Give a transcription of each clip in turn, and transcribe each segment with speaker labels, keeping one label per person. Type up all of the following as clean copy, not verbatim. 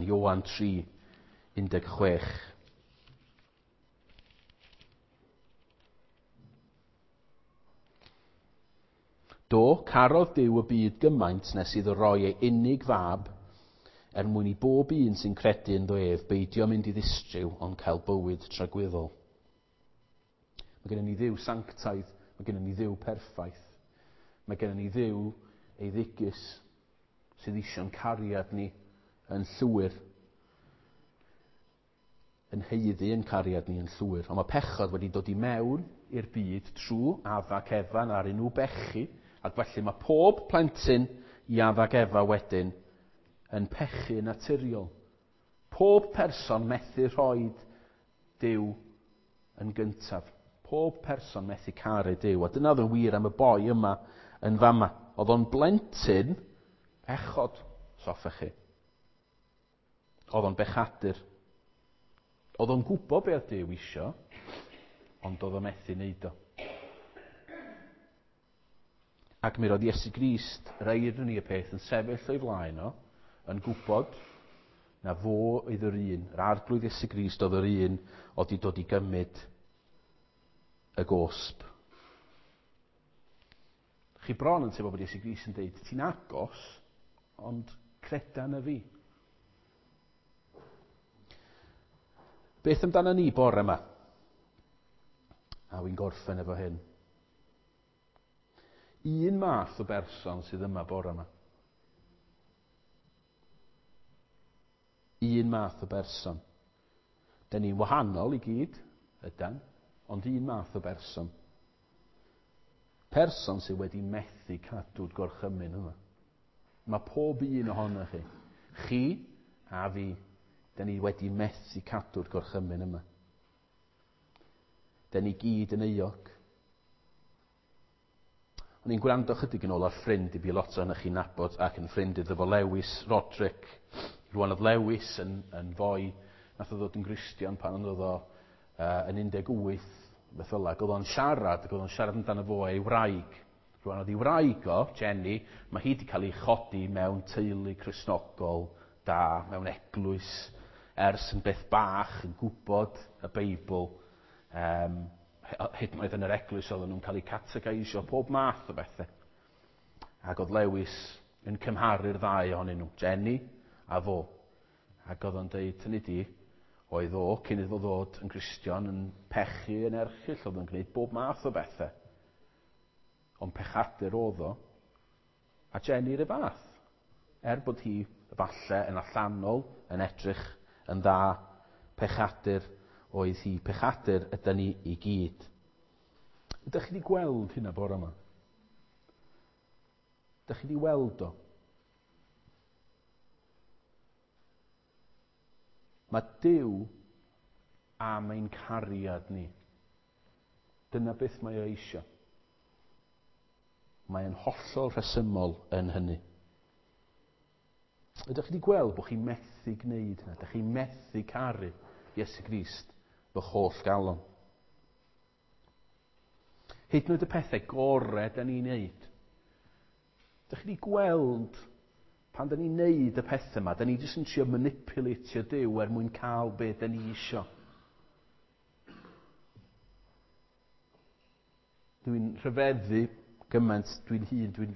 Speaker 1: Ioan 3, 16. Do, carodd Duw y byd gymaint nes iddo roi ei unig fab er mwyn i bob un sy'n credu ynddo ef beidio mynd i ddistryw ond cael bywyd tragwyddol. Mae gennym ni Dduw sanctaidd, mae gennym ni Dduw perffaith. Mae gennym ni Dduw eiddigus sydd eisiau'n cariad ni yn llwyr. Yn haeddu yn cariad ni yn llwyr. Ond mae pechod wedi dod i mewn i'r byd trwy Adda ac Efa a'r nhw bechu, ac felly mae pob plentyn i Adda ac Efa wedyn yn pechu naturiol. Pob person methu rhoi Duw yn gyntaf. Pob person methu caru Duw. A dyna oedd yn wir am y boi yma yn fama. Oedd o'n blentyn pechod, os hoffech chi. Oedd o'n bechadur. Oedd o'n gwybod beth oedd Duw isio, ond oedd o'n methu wneud o. Ac mi roedd Iesu Grist, yr eironi y peth, yn sefyll o'i flaen o, yn gwybod na fo oedd yr un, yr Arglwydd Iesu Grist oedd yr un oedd wedi dod i gymryd y gosb. Chi bron yn teimlo bod Iesu Grist yn dweud, ti'n agos, ond creda na fi. Beth amdano ni bore yma? A wy'n gorffen efo hyn. Un math o berson sydd yma bore yma. Un math o berson. Da ni'n wahanol i gyd, ydan, ond un math o berson. Person sydd wedi methu cadw'r gorchymyn yma. Mae pob un ohonoch chi, chi a fi, da ni wedi methu cadw'r gorchymyn yma. Da ni gyd yn euog. O'n i'n gwrando chydig yn ôl ar ffrind i fi, lot ohonoch chi'n nabod, ac yn ffrind iddo fo Lewis Roderick. Rwan oedd Lewis yn foi, nath o ddod yn Gristion pan oedd o yn 18, beth fel 'a, ac oedd o'n siarad, ac oedd o'n siarad amdano fo a'i wraig. Rwan oedd ei wraig o, Jenny, mae hi wedi cael ei chodi mewn teulu Cristnogol da, mewn eglwys, ers yn beth bach, yn gwybod y Beibl. Hyd yn oed yn yr eglwys oedden nhw'n cael eu categeisio, pob math o bethau. Ac oedd Lewis yn cymharu'r ddau ohonyn nhw, Jenny a fo. Ac oedd o'n deud, hynny di, oedd o, cyn iddo fo ddod yn Gristion, yn pechu yn erchyll, oedd o'n gwneud bob math o bethau. Ond pechadur oedd o, a Jenny yr un fath. Er bod hi falle yn allanol, yn edrych yn dda, pechadur oedd hi. Pechadur ydy ni i gyd. Ydych chi wedi gweld hynna bore yma? Ydych chi wedi weld o? Mae Duw am ein cariad ni. Dyna beth mae o eisiau. Mae o'n hollol rhesymol yn hynny. Ydych chi wedi gweld bod chi'n methu gwneud hynna? Ydych chi'n methu caru Iesu Grist fy holl galon? Hyd yn oed y pethau gorau da ni'n neud. Ydych chi wedi gweld pan da ni'n neud y pethau yma, da ni jyst yn trio manipulatio Duw er mwyn cael be da ni isio. Dwi'n rhyfeddu gymaint, dwi'n hun, dwi'n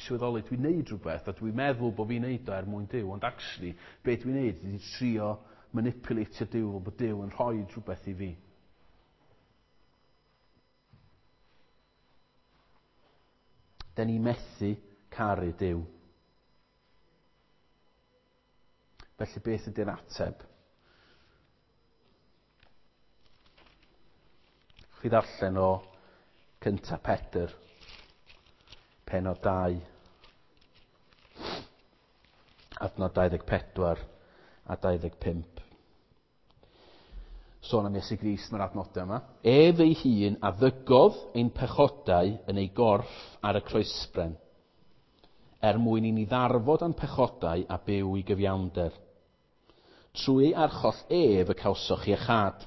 Speaker 1: sylweddoli, dwi'n neud rhywbeth a dwi'n meddwl bod fi'n neud o er mwyn Duw, ond actually, be dwi'n neud ydy trio manipulatio Duw fel bod Duw yn rhoi rhywbeth i fi. Da ni methu caru Duw. Felly beth ydy'r ateb? Chi ddarllen o 1 Pedr, pennod 2, adnod 24 a 25. Sôn am Iesu Grist mae'r adnodau yma. Ef ei hun a ddygodd ein pechodau yn ei gorff ar y croesbren, er mwyn i ni ddarfod â'n pechodau a byw i gyfiawnder. Trwy ei archoll ef y cawsoch iechâd.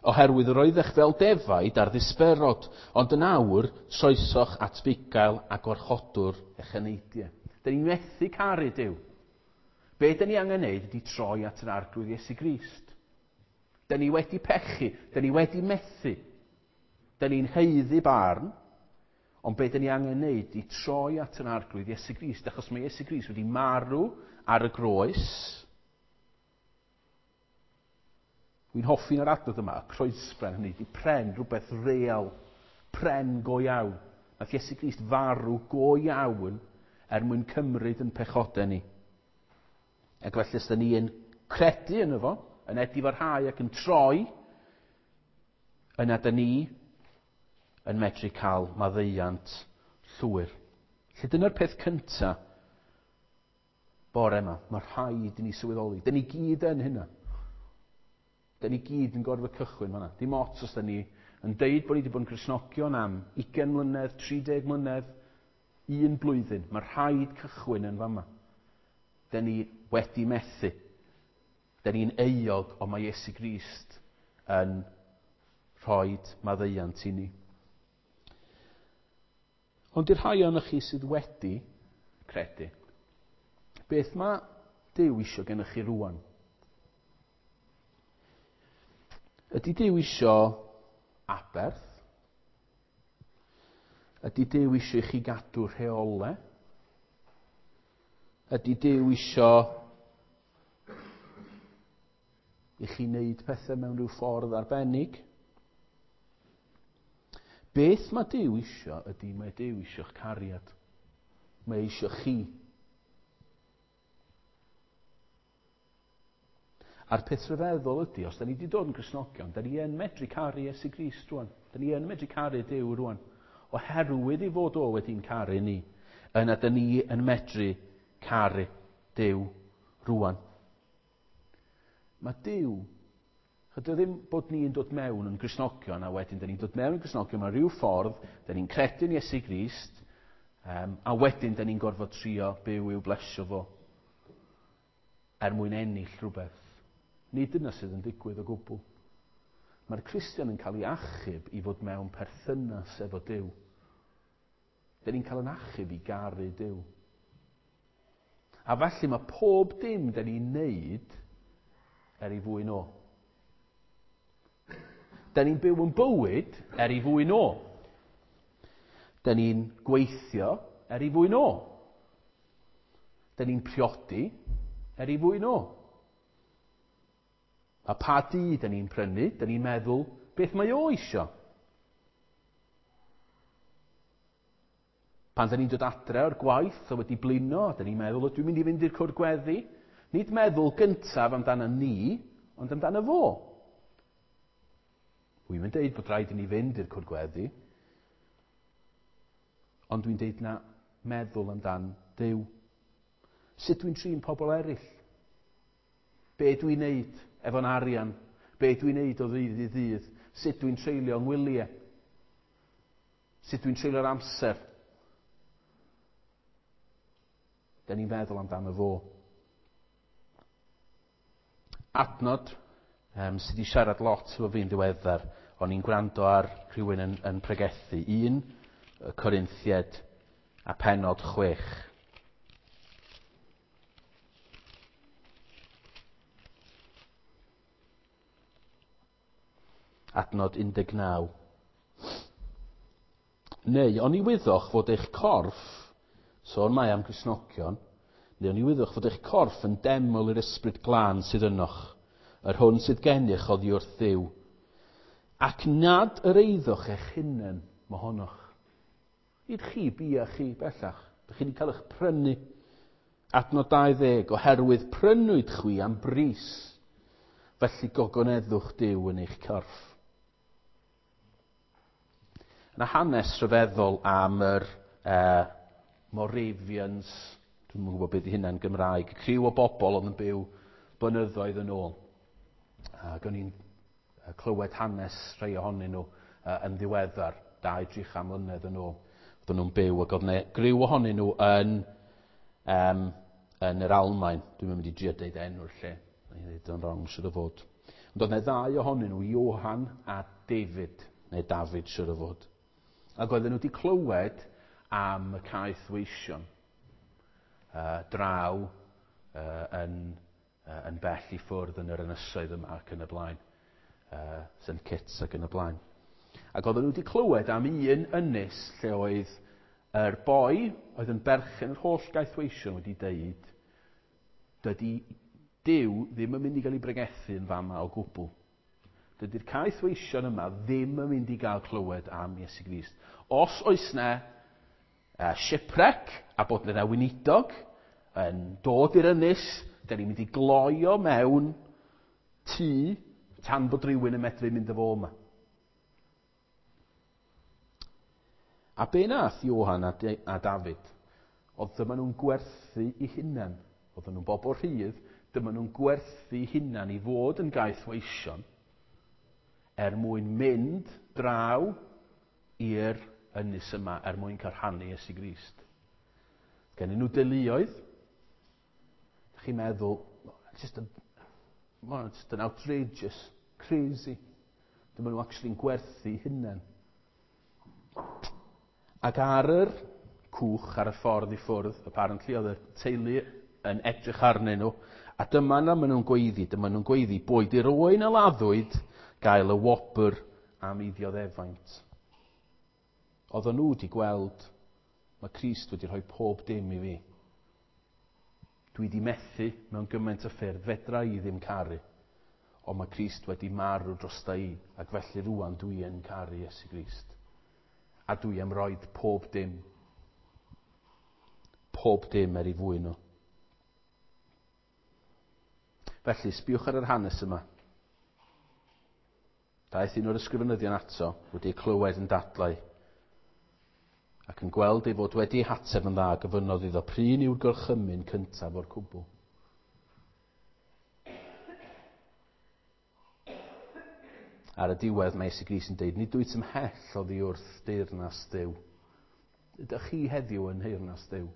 Speaker 1: Oherwydd yr oeddech fel defaid ar ddisperod, ond yn awr troesoch at fugail a gwarchodwr eich eneidiau. Da ni'n methu caru Duw. Be dyn ni angen neud ydy troi at yr Arglwydd Iesu Grist. Dyn ni wedi pechu, dyn ni wedi methu. Dyn ni'n haeddu barn, ond be dyn ni angen neud ydy troi at yr Arglwydd Iesu Grist, achos mae Iesu Grist wedi marw ar y groes. Dwi'n hoffi'n yr adnodd yma, y croesbren, hynny ydy pren, rhywbeth real, pren go iawn. Nath Iesu Grist farw go iawn er mwyn cymryd yn pechodau ni. Ac felly os da ni yn credu yno fo, yn edifarhau ac yn troi, yna da ni yn medru cael maddeuant llwyr. Felly dyna'r peth cyntaf bore yma. Mae rhaid i ni sylweddoli. Da ni gyd yn hynna. Da ni gyd yn gorfod cychwyn fanna. Dim ots os da ni yn deud bod ni wedi bod yn Gristnogion am 20 mlynedd, 30 mlynedd, un blwyddyn. Mae rhaid cychwyn yn fama. Da ni wedi methu. Da ni'n euog, ond mae Iesu Grist yn rhoi maddeuant i ni. Ond i'r rhai ohonoch chi sydd wedi credu, beth mae Duw isio gennych chi rwan? Ydy Duw isio aberth? Ydy Duw isio i chi gadw rheolau? Ydy Duw isio i chi wneud pethau mewn rhyw ffordd arbennig? Beth mae Duw isio ydy mae Duw isio'ch cariad. Mae isio chi. A'r peth rhyfeddol ydy, os da ni wedi dod yn Gristnogion, da ni yn medru caru Iesu Grist rwan. Da ni yn medru caru Duw rwan. Oherwydd ei fod o wedi'n caru ni, yna da ni yn medru caru Duw rwan. Mae Duw, chyda ddim bod ni'n dod mewn yn Gristnogion, a wedyn da ni'n dod mewn yn Gristnogion mewn rhyw ffordd, da ni'n credu'n Iesu Grist, a wedyn da ni'n gorfod trio byw i'w blesio fo er mwyn ennill rhywbeth. Nid dyna sydd yn digwydd o gwbl. Mae'r Cristion yn cael ei achub i fod mewn perthynas efo Duw. Da ni'n cael yn achub i garu Duw. A felly mae pob dim da ni'n neud er ei fwyn o. Da ni'n byw yn bywyd er ei fwyn o. Da ni'n gweithio er ei fwyn o. Da ni'n priodi er ei fwyn o. A pa dŷ da ni'n prynu, da ni'n meddwl beth mae o isio. Pan da ni'n dod adre o'r gwaith a wedi blino, da ni'n meddwl, o, dwi'n mynd i fynd i'r cwr gweddi. Nid meddwl gyntaf amdano ni, ond amdano fo. Wy'n mynd deud bod rhaid i ni fynd i'r cwr gweddi, ond dwi'n deud na meddwl amdan Duw. Sut dwi'n trin pobl eraill? Be dwi'n neud efo'n arian? Be dwi'n neud o ddydd i ddydd? Sut dwi'n treulio ngwyliau? Sut dwi'n treulio'r amser? Da ni'n feddwl amdano fo. Adnod sydd wedi siarad lot efo fi'n ddiweddar, o'n i'n gwrando ar rhywun yn pregethu. 1 Corinthiaid a pennod 6. Adnod 19. Neu, oni wyddoch fod eich corff, sôn mae am Gristnogion, neu oni wyddoch fod eich corff yn deml i'r Ysbryd Glân sydd ynoch, yr hwn sydd gennych oddi wrth Dduw, ac nad yr eiddoch eich hunain mohonoch. Nid chi bia chi bellach. Dych chi wedi cael eich prynu. Adnod 20, oherwydd prynwyd chwi am bris, felly gogoneddwch Duw yn eich corff. Yna hanes rhyfeddol am yr Moravians, dwi'm yn gwybod beth ydy hynna'n Gymraeg, criw o bobl oedd yn byw blynyddoedd yn ôl. Ac o'n i'n clywed hanes rhai ohonyn nhw yn ddiweddar, 2-3 mlynedd yn ôl. Oedden nhw'n byw ac oedd 'na griw ohonyn nhw yn yr Almaen. Dwi'm yn mynd i drio deud enw'r lle. Na'i ddeud o'n wrong, siŵr o fod. Ond oedd 'na ddau ohonyn nhw, Johan a David, neu David, siŵr o fod. Ac oedden nhw wedi clywed am y caethweision draw yn bell i ffwrdd yn yr ynysoedd yma ac yn y blaen. St Kitts ac yn y blaen. Ac oedden nhw wedi clywed am un ynys lle oedd yr boi oedd yn berchen yr holl gaethweision wedi deud, dydy Duw ddim yn mynd i gael ei bregethu yn fama o gwbl. Dydy'r caethweision yma ddim yn mynd i gael clywed am Iesu Grist. Os oes na shipwreck a bod yna weinidog yn dod i'r ynys, da ni'n mynd i gloio mewn tŷ tan bod rhywun yn medru mynd â fo yma. A be nath Johan a David, oedd dyma nhw'n gwerthu i hunan. Oedden nhw'n bobl rhydd, dyma nhw'n gwerthu i hunan i fod yn gaethweision er mwyn mynd draw i'r ynys yma, er mwyn cael rhannu Iesu Grist. Gennyn nhw deuluoedd. Dych chi'n meddwl, just yn outrageous, crazy. Dyma nhw actually'n gwerthu hunan. Ac ar yr cwch, ar y ffordd i ffwrdd, apparently oedd y teulu yn edrych arnyn nhw, a dyma na maen nhw'n gweiddi, dyma nhw'n gweiddi, boed i'r oen a laddwyd gael y wobr am ei ddioddefaint. Oedden nhw wedi gweld, mae Crist wedi rhoi pob dim i fi. Dwi wedi methu mewn gymaint o ffyrdd, fedra i ddim caru. Ond mae Crist wedi marw drosta i, ac felly rŵan dwi yn caru Iesu Grist. A dwi am roed pob dim. Pob dim er ei fwyn nhw. Felly, sbiwch ar yr hanes yma. Daeth un o'r ysgrifenyddion ato, wedi ei clywed yn dadlau, ac yn gweld ei fod wedi ei hateb yn dda, gofynnodd iddo, pryn yw'r gorchymyn cyntaf o'r cwbl? Ar y diwedd mae Iesu Grist yn deud, nid wyt ymhell oddi wrth deyrnas Dduw. Ydych chi heddiw yn nheyrnas Dduw?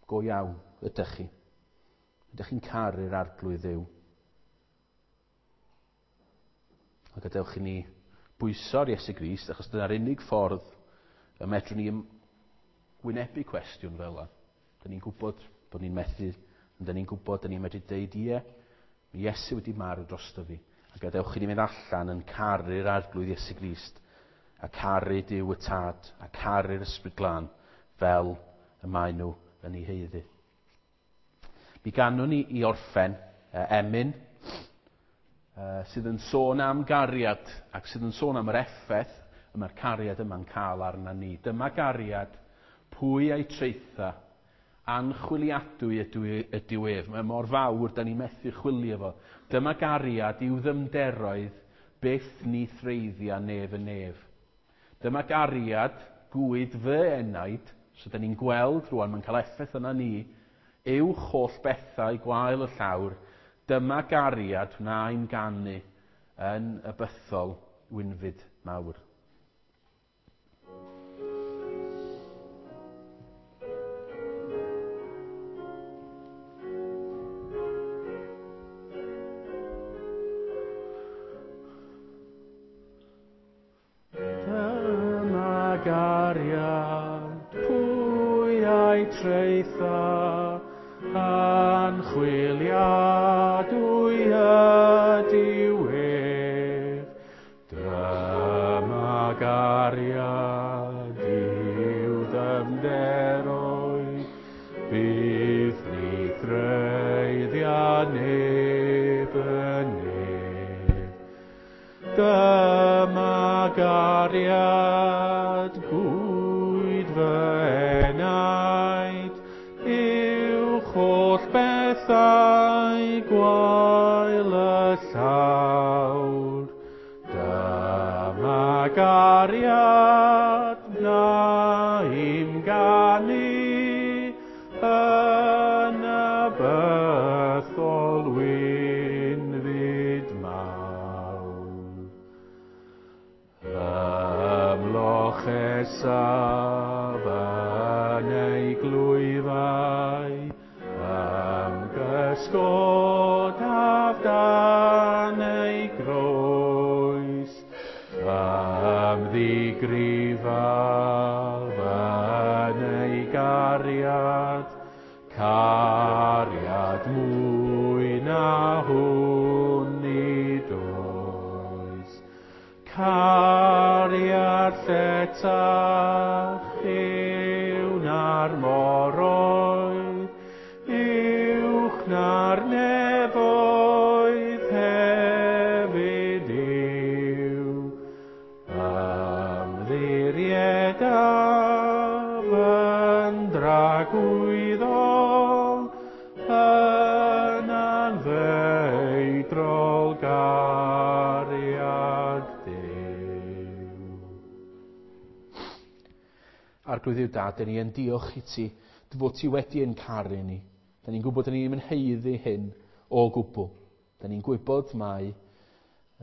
Speaker 1: Go iawn, ydych chi? Ydych chi'n caru'r Arglwydd Dduw? A gadewch i ni bwyso'r Iesu Grist, achos dyna'r unig ffordd y medrwn ni wynebu cwestiwn fel yna. Dyn ni'n gwybod bod ni'n methu, ond dyn ni'n gwybod, dyn ni'n medru deud, ie, mae Iesu wedi marw drosto fi. A gadewch i ni mynd allan yn caru'r Arglwydd Iesu Grist, a caru Duw y Tad, a caru'r Ysbryd Glân, fel y maen nhw yn ei haeddu. Mi ganwn ni i orffen emyn sydd yn sôn am gariad ac sydd yn sôn am yr effaith y mae'r cariad yma'n cael arna ni. Dyma gariad, pwy a'i traetha, anchwiliadwy ydyw ef. Mae mor fawr, da ni methu chwilio fo. Dyma gariad i'w ddymderoedd, byth ni threiddia nef y nef. Dyma gariad gwyd fy enaid, so da ni'n gweld rwan, mae'n cael effaith yna ni, uwch holl bethau gwael y llawr, dyma gariad wna'n ganu yn y bythol wynfyd mawr. Dyma gariad, pwy a'i traetha, anchwiliadwy ydyw ef. Dyma gariad i'w ddyfnderoedd, byth ni threiddia neb y nef. Dyma gariad gwyd fy enaid, uwch holl bethau gwael y llawr. Dyma gariad wna i'm ganu yn y bythol wynfyd mawr. Ymlochesaf yn ei glwyfau, ymgysgodaf dan ei groes, ymddigrifaf yn ei gariad,
Speaker 2: Bellach yw na'r moroedd, uwch na'r nefoedd hefyd yw. Ymddiriedaf yn dragwyddol, yn anfeidrol gariad Duw.
Speaker 1: Arglwydd Dduw Dad, dyn ni yn diolch i ti, dy fod ti wedi ein caru ni. Dyn ni'n gwybod dyn ni ddim yn haeddu hyn o gwbl. Dyn ni'n gwybod mai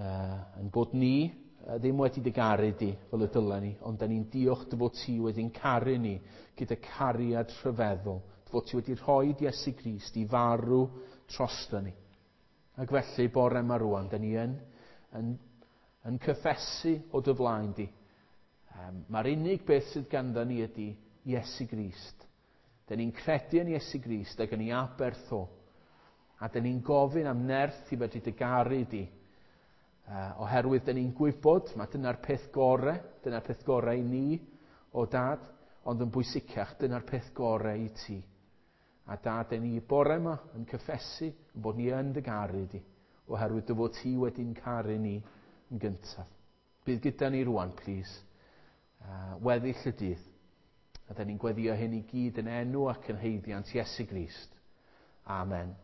Speaker 1: yn bod ni ddim wedi dy garu di fel y dylen ni, ond dyn ni'n diolch dy fod ti wedi'n caru ni gyda cariad rhyfeddol, dy fod ti wedi rhoi Iesu Grist i farw drosto ni. Ac felly, bore yma rwan, dyn ni yn cyffesu o dy flaen di. Mae'r unig beth sydd ganddo ni ydy Iesu Grist. Dyn ni'n credu yn Iesu Grist ac yn ei aberth o. A dyn ni'n gofyn am nerth i fedru dy garu di. Oherwydd dyn ni'n gwybod, mae dyna'r peth gore, dyna'r peth gore i ni o Dad, ond yn bwysicach, dyna'r peth gore i ti. A Dad, dyn ni bore yma yn cyffesu yn bod ni yn dy garu di, oherwydd dy fod ti wedi'n caru ni yn gyntaf. Bydd gyda ni rwan, plîs, weddill y dydd. A dyn ni'n gweddio hyn i gyd yn enw ac yn haeddiant Iesu Grist. Amen.